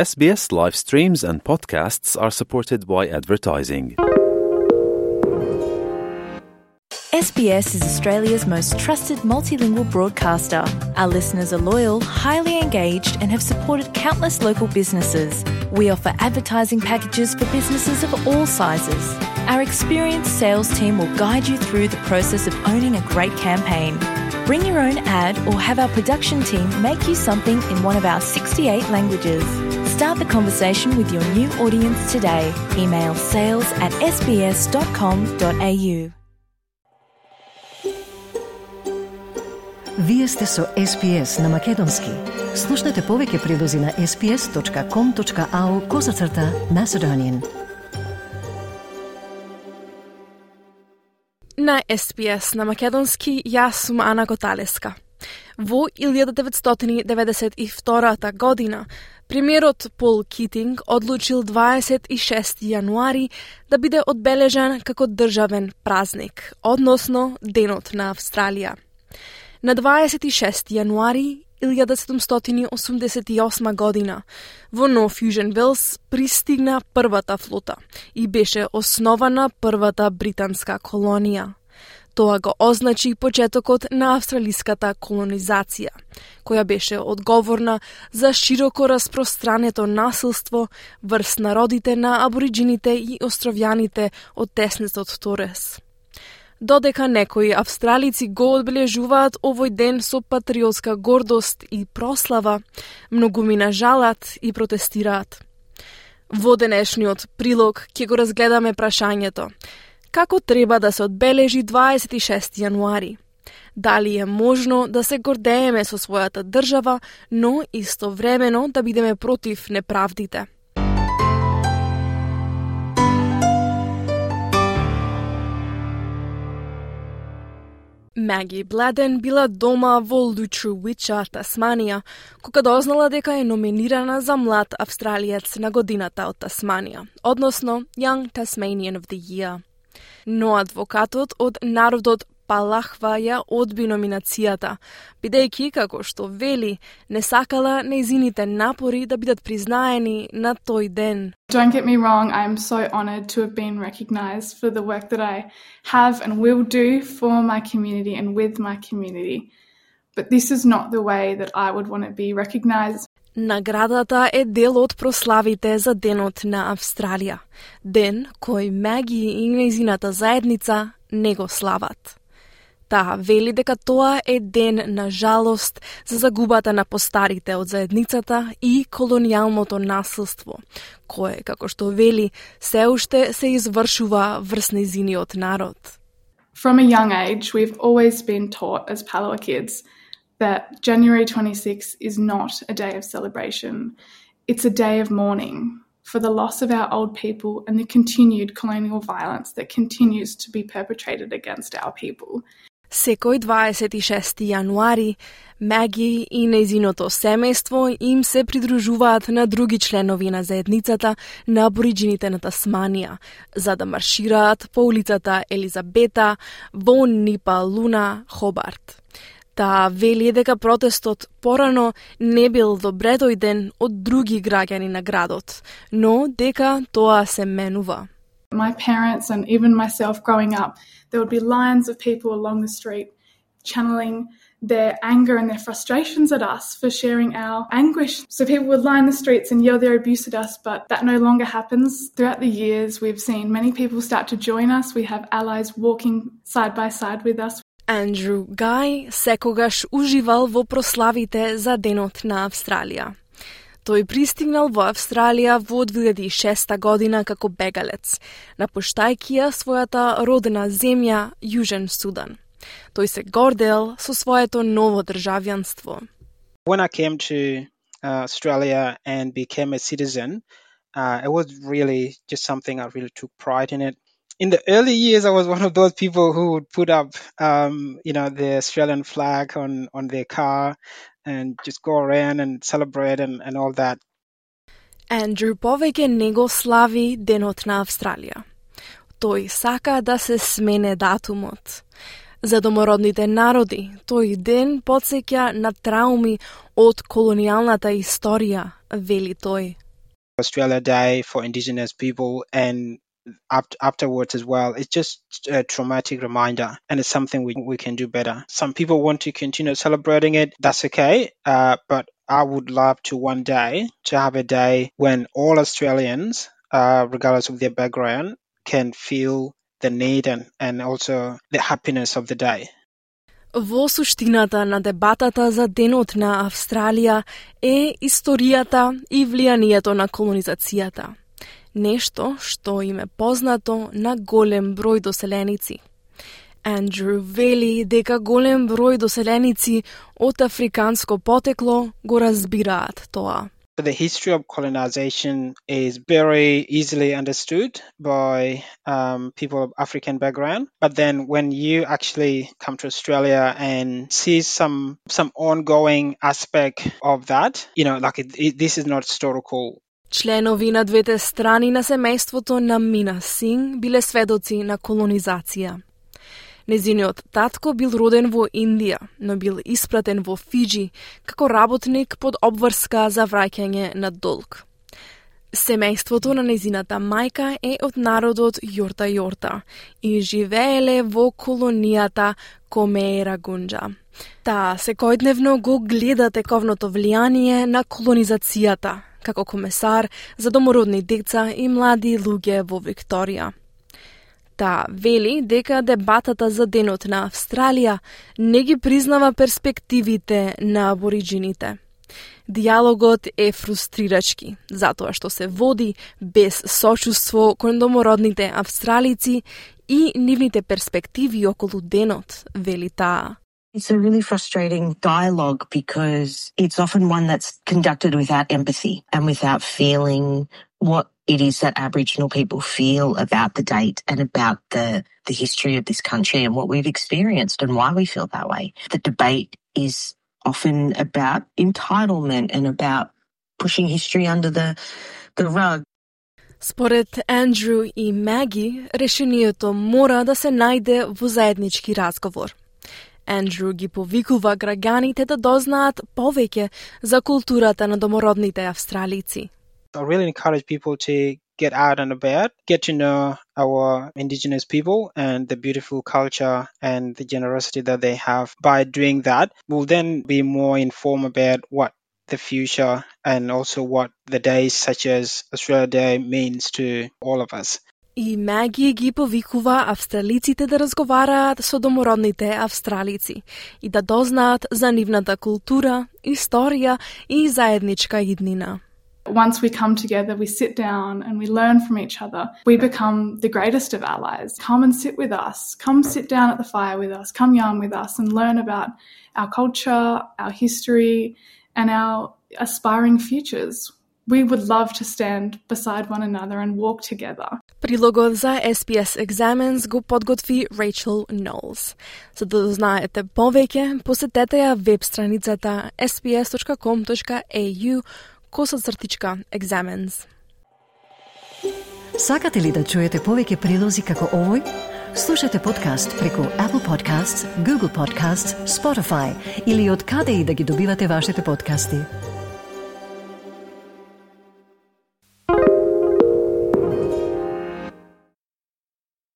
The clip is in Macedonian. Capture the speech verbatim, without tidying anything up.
S B S live streams and podcasts are supported by advertising. S B S is Australia's most trusted multilingual broadcaster. Our listeners are loyal, highly engaged, and have supported countless local businesses. We offer advertising packages for businesses of all sizes. Our experienced sales team will guide you through the process of owning a great campaign. Bring your own ad or have our production team make you something in one of our sixty-eight languages. Start the conversation with your new audience today. Email sales at s b s dot com dot a u. Вие сте со С Б С на Македонски. Слушнете повеќе прилози на s b s dot com dot a u козацрта Macedonian. На С Б С на Македонски, јас сум Ана Коталеска. Во илјада деветстотини деветдесет и втора година, премиерот Пол Китинг одлучил дваесет и шести јануари да биде одбележан како државен празник, односно Денот на Австралија. На дваесет и шести јануари илјада седумстотини осумдесет и осма година во Нов Јужен Велс пристигна првата флота и беше основана првата британска колонија. Тоа го означи почетокот на австралиската колонизација, која беше одговорна за широко распространето насилство врз народите на абориджините и островјаните од теснецот Торес. Додека некои австралици го одбележуваат овој ден со патриотска гордост и прослава, многумина жалат и протестираат. Во денешниот прилог ќе го разгледаме прашањето: како треба да се одбележи дваесет и шести јануари? Дали е можно да се гордееме со својата држава, но истовремено да бидеме против неправдите? Маги Бладен била дома во Лутруича, Тасманија, кога дознала дека е номинирана за млад австралиец на годината од Тасманија, односно Young Tasmanian of the Year. Но адвокатот од народот Палахва ја одби номинацијата, бидејќи, како што вели, не сакала нејзините напори да бидат признаени на тој ден. Don't get me wrong, I am so honoured to have been recognised for the work that I have and will do for my community and with my community. But this is not the way that I would want to be recognised. Наградата е дел од прославите за Денот на Австралија, ден кој Маги и нејзината заедница не го слават. Таа вели дека тоа е ден на жалост за загубата на постарите од заедницата и колонијалното насилство, кое, како што вели, се уште се извршува врз нејзиниот народ. From a young age, we've always been taught as Palawa kids that January twenty-sixth is not a day of celebration. It's a day of mourning for the loss of our old people and the continued colonial violence that continues to be perpetrated against our people. Секој дваесет и шести јануари, Маги и нејзиното семејство им се придружуваат на други членови на заедницата на абориджините на Тасманија, за да маршираат по улицата Елизабета во Нипа Луна, Хобарт. Таа вели дека протестот порано не бил добре дојден од други граѓани на градот, но дека тоа се менува. My parents and even myself growing up, there would be lines of people along the street channeling their anger and their frustrations at us for sharing our anguish. So people would line the streets and yell their abuse at us, but that no longer happens. Throughout the years, we've seen many people start to join us. We have allies walking side by side with us. Андрю Гај секогаш уживал во прославите за Денот на Австралија. Тој пристигнал во Австралија во две илјади и шеста година како бегалец, напуштајќи ја својата родена земја Јужен Судан. Тој се гордел со своето ново државјанство. When I came to uh, Australia and became a citizen, uh, it was really just something I really took pride in it. In the early years, I was one of those people who would put up, um, you know, the Australian flag on, on their car and just go around and celebrate and, and all that. Андрю повеќе не го слави Денот на Австралија. Тој сака да се смене датумот. За домородните народи, тој ден потсеќа на трауми од колонијалната историја, вели тој. Australia Day for Indigenous people and afterwards as well. It's just a traumatic reminder, and it's something we we can do better. Some people want to continue celebrating it. That's okay, uh, but I would love to one day to have a day when all Australians, uh, regardless of their background, can feel the need and, and also the happiness of the day. Во суштината на дебатата за денот на Австралија е историјата и влијанието на колонизацијата. Нешто што им е познато на голем број доселеници. Андрю вели дека голем број доселеници од африканско потекло го разбираат тоа. The history of colonization is very easily understood by um, people of African background. But then when you actually come to Australia and see some some ongoing aspect of that, you know, like it, it, this is not historical. Членови на двете страни на семејството на Мина Синг биле сведоци на колонизација. Незиниот татко бил роден во Индија, но бил испратен во Фиџи како работник под обврска за враќање на долг. Семејството на незината мајка е од народот Јорта Јорта и живееле во колонијата Комеера Гунџа. Таа секојдневно го гледа тековното влијание на колонизацијата како комесар за домородни деца и млади луѓе во Викторија. Таа вели дека дебатата за денот на Австралија не ги признава перспективите на абориџините. Диалогот е фрустрирачки, затоа што се води без сочувство кон домородните австралици и нивните перспективи околу денот, вели таа. It's a really frustrating dialogue because it's often one that's conducted without empathy and without feeling what it is that Aboriginal people feel about the date and about the, the history of this country and what we've experienced and why we feel that way. The debate is often about entitlement and about pushing history under the, the rug. Според Андрю и Маги, решението мора да се најде во заеднички разговор. Андрю ги повикува граѓаните да дознаат повеќе за културата на домородните австралици. I really encourage people to get out and about, get to know our Indigenous people and the beautiful culture and the generosity that they have. By doing that, we'll then be more informed about what the future and also what the days such as Australia Day means to all of us. И Маги ги повикува австралиците да разговараат со домородните австралици и да дознаат за нивната култура, историја и заедничка иднина. Once we come together, we sit down and we learn from each other. We become the greatest of allies. Come and sit with us. Come sit down at the fire with us. Come yarn with us and learn about our culture, our history, and our aspiring futures. We would love to stand beside one another and walk together. Прилогот за S B S Examines го подготви Rachel Knowles. За да дознаете повеќе, посетете ја веб страницата s b s dot com dot a u косацртичка Examines. Сакате ли да чуете повеќе прилози како овој? Слушате подкаст преку Apple Podcasts, Google Podcasts, Spotify или од каде и да ги добивате вашите подкасти.